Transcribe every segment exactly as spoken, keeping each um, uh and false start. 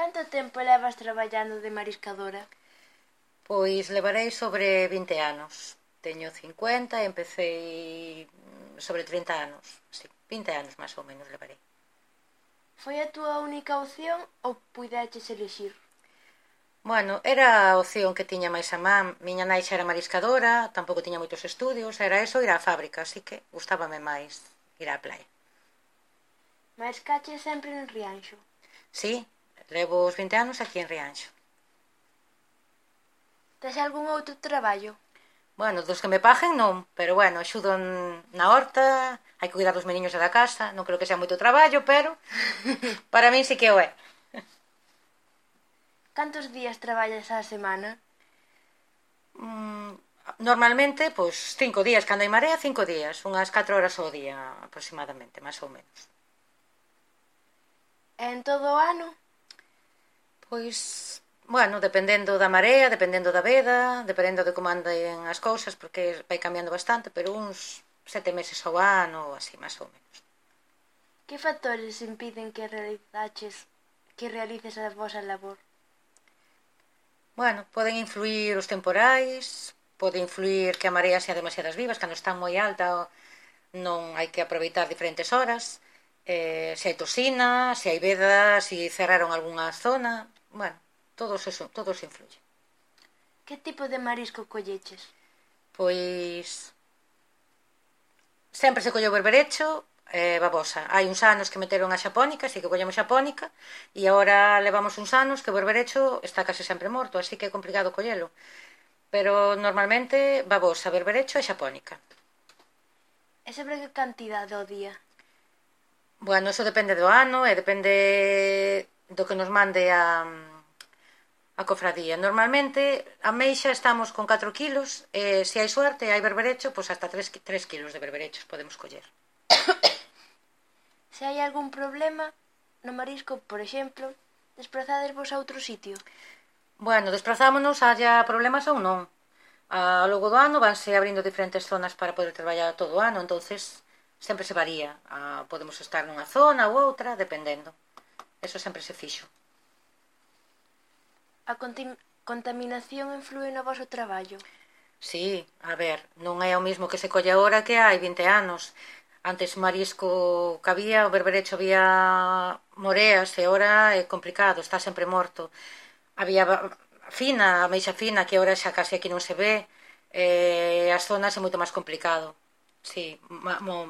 Canto tempo levas traballando de mariscadora? Pois levarei sobre vinte anos. Teño cincuenta e empecé sobre trinta anos. Sí, vinte anos máis ou menos levarei. Foi a túa única opción ou puideches elixir? Bueno, era a opción que tiña máis a man. Miña nai xa era mariscadora, tampouco tiña moitos estudios, era eso, ir á fábrica, así que gustábame máis ir á playa. Mariscaches sempre en Rianxo? Sí, levo os vinte anos aquí en Rianxo. Tes algún outro traballo? Bueno, dos que me paguen non, pero bueno, axudo na horta, hai que cuidar dos meniños da casa, non creo que sea moito traballo, pero para min sí que o é. Cantos días traballas á semana? Mm, normalmente, pois, cinco días, cando hai marea, cinco días, unhas catro horas ao día aproximadamente, máis ou menos. E en todo o ano? Pois, bueno, dependendo da marea, dependendo da veda, dependendo de como anden as cousas, porque vai cambiando bastante, pero uns sete meses ao ano, así, máis ou menos. Que factores impiden que realizaches, que realices a vosa labor? Bueno, poden influir os temporais, pode influir que a marea sea demasiadas vivas, cando están moi alta non hai que aproveitar diferentes horas, eh, se hai tosina, se hai veda, se cerraron algunha zona, bueno, todo eso, todo eso influye. Que tipo de marisco colleches? Pois sempre se colleu berberecho e eh, babosa. Hai uns anos que meteron a xapónica, así que collemos xapónica, e agora levamos uns anos que o berberecho está case sempre morto, así que é complicado collelo. Pero normalmente babosa, berberecho e xapónica. E sobre que cantidade ao día? Bueno, eso depende do ano e depende do que nos mande a, a cofradía. Normalmente a meixa estamos con catro kilos e se hai suerte e hai berberecho, pois hasta tres kilos de berberechos podemos coller. Se hai algún problema no marisco, por exemplo, desprazadesvos a outro sitio? Bueno, desplazámonos haya problemas ou non. Ao longo do ano vanse abrindo diferentes zonas para poder traballar todo o ano, entonces sempre se varía. Ah, podemos estar nunha zona ou outra, dependendo. Eso sempre se fixo. A contaminación influe no voso traballo? Sí, a ver, non é o mismo que se colle agora que hai vinte anos. Antes marisco que había, o berberecho había moreas e agora é complicado, está sempre morto. Había fina, a meixa fina, que agora xa case aquí non se ve, e as zonas é moito máis complicado. Sí,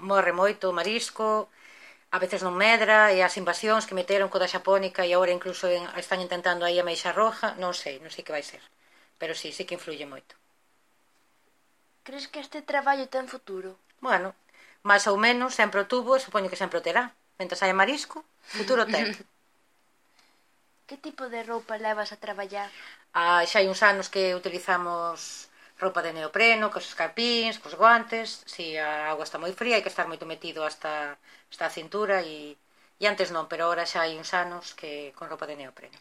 morre moito o marisco, a veces non medra, e as invasións que meteron co da xapónica e agora incluso están intentando aí a meixa roja, non sei, non sei que vai ser. Pero sí, sí que influye moito. Crees que este traballo ten futuro? Bueno, máis ou menos, sempre o tuvo e supoño que sempre o terá. Mentres hai marisco, futuro ten. Que tipo de roupa levas a traballar? Ah, xa hai uns anos que utilizamos roupa de neopreno, cos escarpíns, cos guantes. Si a auga está moi fría, hai que estar moito metido hasta, hasta a cintura e, e antes non, pero agora xa hai uns anos que con roupa de neopreno.